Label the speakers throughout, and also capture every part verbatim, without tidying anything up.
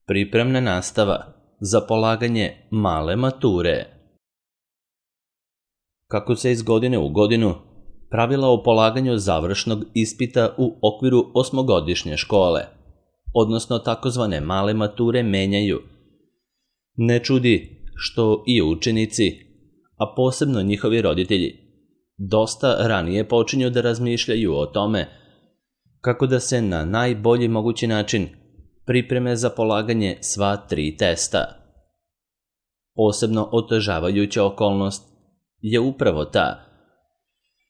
Speaker 1: Pripremna nastava za polaganje male mature. Kako se iz godine u godinu pravila o polaganju završnog ispita u okviru osmogodišnje škole, odnosno takozvane male mature, menjaju, ne čudi što i učenici, a posebno njihovi roditelji, dosta ranije počinju da razmišljaju o tome kako da se na najbolji mogući način pripreme za polaganje sva tri testa. Posebno otežavajuća okolnost je upravo ta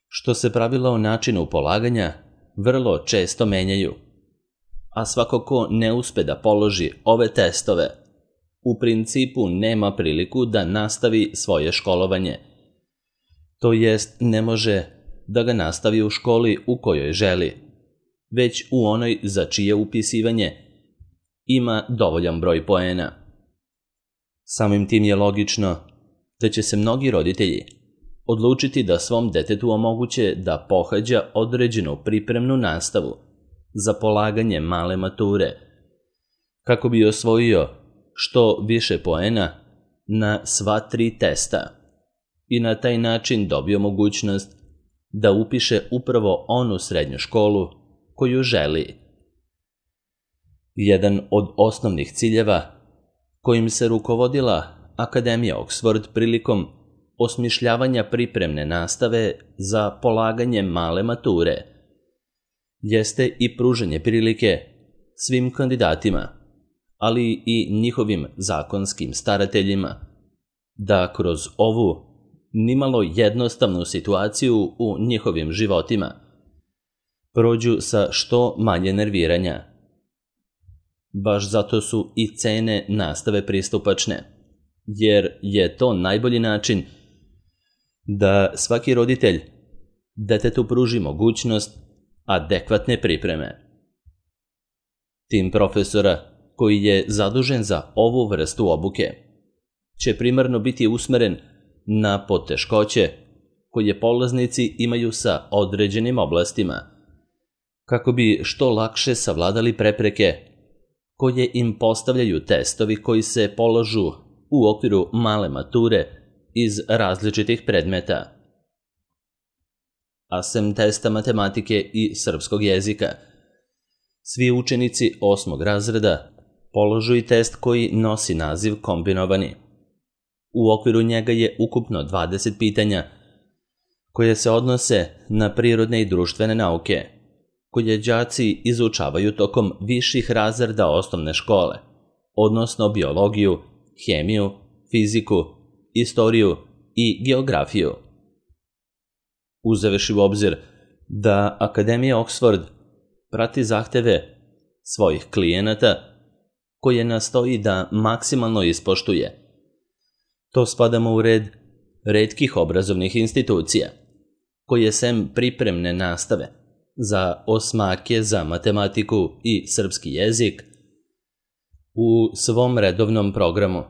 Speaker 1: što se pravila o načinu polaganja vrlo često menjaju, a svako ko ne uspe da položi ove testove, u principu nema priliku da nastavi svoje školovanje, to jest ne može da ga nastavi u školi u kojoj želi, već u onoj za čije upisivanje ima dovoljan broj poena. Samim tim je logično da će se mnogi roditelji odlučiti da svom detetu omoguće da pohađa određenu pripremnu nastavu za polaganje male mature, kako bi osvojio što više poena na sva tri testa i na taj način dobio mogućnost da upiše upravo onu srednju školu koju želi. Jedan od osnovnih ciljeva kojim se rukovodila Akademija Oxford prilikom osmišljavanja pripremne nastave za polaganje male mature jeste i pružanje prilike svim kandidatima, ali i njihovim zakonskim starateljima, da kroz ovu nimalo jednostavnu situaciju u njihovim životima prođu sa što manje nerviranja. Baš zato su i cene nastave pristupačne, jer je to najbolji način da svaki roditelj detetu pruži mogućnost adekvatne pripreme. Tim profesora koji je zadužen za ovu vrstu obuke će primarno biti usmeren na poteškoće koje polaznici imaju sa određenim oblastima, kako bi što lakše savladali prepreke koje im postavljaju testovi koji se polažu u okviru male mature iz različitih predmeta. A sem testa matematike i srpskog jezika, svi učenici osmog razreda polažu i test koji nosi naziv kombinovani. U okviru njega je ukupno dvadeset pitanja koje se odnose na prirodne i društvene nauke, koje đaci izučavaju tokom viših razreda osnovne škole, odnosno biologiju, hemiju, fiziku, istoriju i geografiju. Uzevši u obzir da Akademija Oxford prati zahteve svojih klijenata koje nastoji da maksimalno ispoštuje, to spadamo u red retkih obrazovnih institucija koje sem pripremne nastave za osmake za matematiku i srpski jezik u svom redovnom programu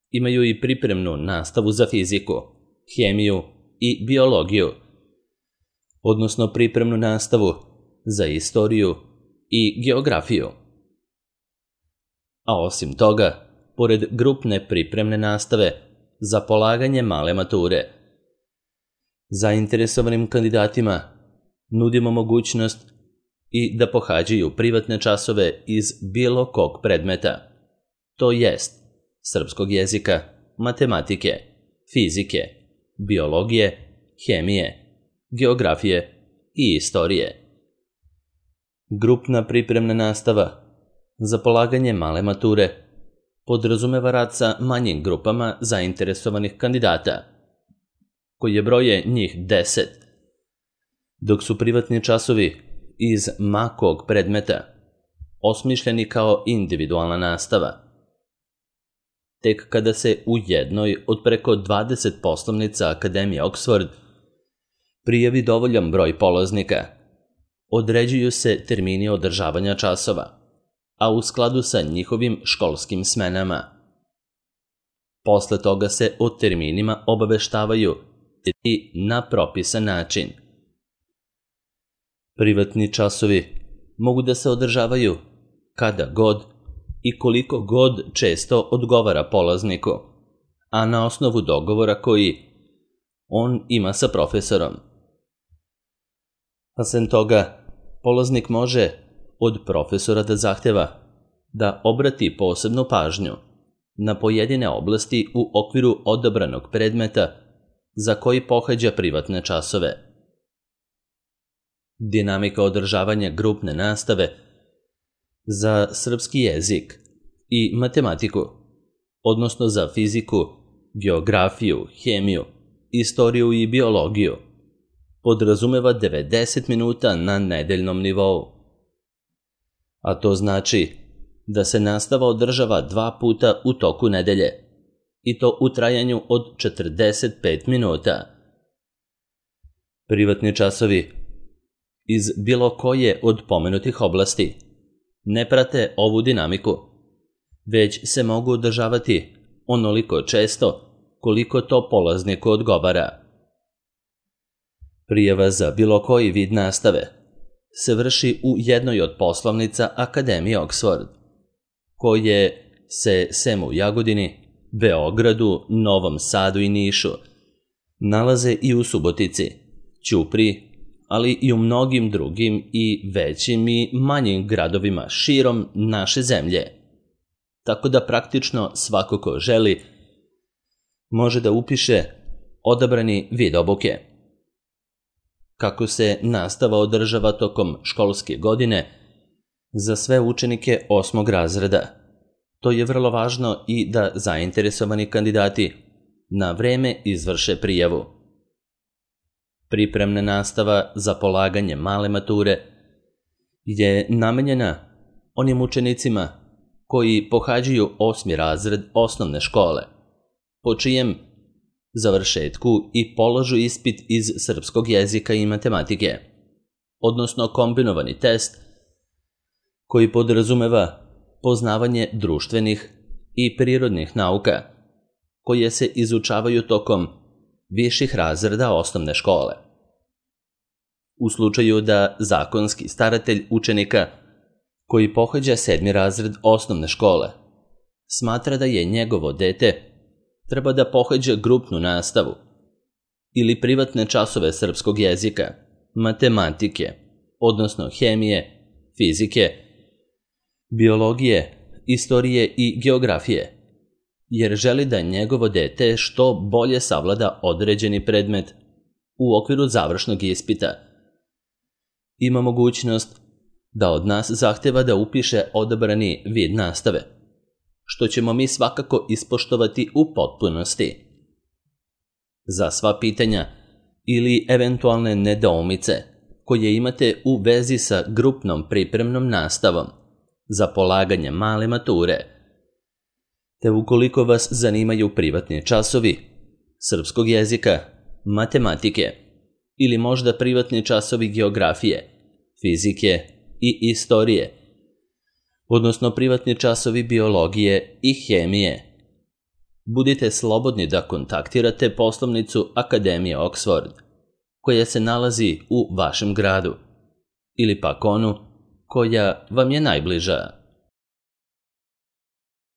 Speaker 1: imaju i pripremnu nastavu za fiziku, hemiju i biologiju, odnosno pripremnu nastavu za istoriju i geografiju. A osim toga, pored grupne pripremne nastave za polaganje male mature, zainteresovanim kandidatima nudimo mogućnost i da pohađaju privatne časove iz bilo kog predmeta, to jest srpskog jezika, matematike, fizike, biologije, hemije, geografije i istorije. Grupna pripremna nastava za polaganje male mature podrazumeva rad sa manjim grupama zainteresovanih kandidata, koje broje njih deset, dok su privatni časovi iz makog predmeta osmišljeni kao individualna nastava. Tek kada se u jednoj od preko dvadeset poslovnica Akademije Oxford prijavi dovoljan broj polaznika, određuju se termini održavanja časova, a u skladu sa njihovim školskim smenama. Posle toga se o terminima obaveštavaju i na propisan način. Privatni časovi mogu da se održavaju kada god i koliko god često odgovara polazniku, a na osnovu dogovora koji on ima sa profesorom. A sem toga, polaznik može od profesora da zahteva da obrati posebnu pažnju na pojedine oblasti u okviru odabranog predmeta za koji pohađa privatne časove. Dinamika održavanja grupne nastave za srpski jezik i matematiku, odnosno za fiziku, geografiju, hemiju, istoriju i biologiju, podrazumeva devedeset minuta na nedeljnom nivou. A to znači da se nastava održava dva puta u toku nedelje, i to u trajanju od četrdeset pet minuta. Privatni časovi iz bilo koje od pomenutih oblasti ne prate ovu dinamiku, već se mogu održavati onoliko često koliko to polazniku odgovara. Prijava za bilo koji vid nastave se vrši u jednoj od poslovnica Akademije Oxford, koje se sem u Jagodini, Beogradu, Novom Sadu i Nišu nalaze i u Subotici, Ćupriji, ali i u mnogim drugim i većim i manjim gradovima širom naše zemlje. Tako da praktično svako ko želi može da upiše odabrani vid obuke. Kako se nastava održava tokom školske godine za sve učenike osmog razreda, to je vrlo važno i da zainteresovani kandidati na vreme izvrše prijavu. Pripremna nastava za polaganje male mature je namenjena onim učenicima koji pohađaju osmi razred osnovne škole, po čijem završetku i polažu ispit iz srpskog jezika i matematike, odnosno kombinovani test koji podrazumeva poznavanje društvenih i prirodnih nauka koje se izučavaju tokom viših razreda osnovne škole. U slučaju da zakonski staratelj učenika koji pohađa sedmi razred osnovne škole smatra da je njegovo dete treba da pohađa grupnu nastavu ili privatne časove srpskog jezika, matematike, odnosno hemije, fizike, biologije, istorije i geografije, jer želi da njegovo dete što bolje savlada određeni predmet u okviru završnog ispita, ima mogućnost da od nas zahteva da upiše odabrani vid nastave, što ćemo mi svakako ispoštovati u potpunosti. Za sva pitanja ili eventualne nedoumice koje imate u vezi sa grupnom pripremnom nastavom za polaganje male mature, te ukoliko vas zanimaju privatni časovi srpskog jezika, matematike ili možda privatni časovi geografije, fizike i istorije, odnosno privatni časovi biologije i hemije, budite slobodni da kontaktirate poslovnicu Akademije Oxford, koja se nalazi u vašem gradu, ili pak onu koja vam je najbliža.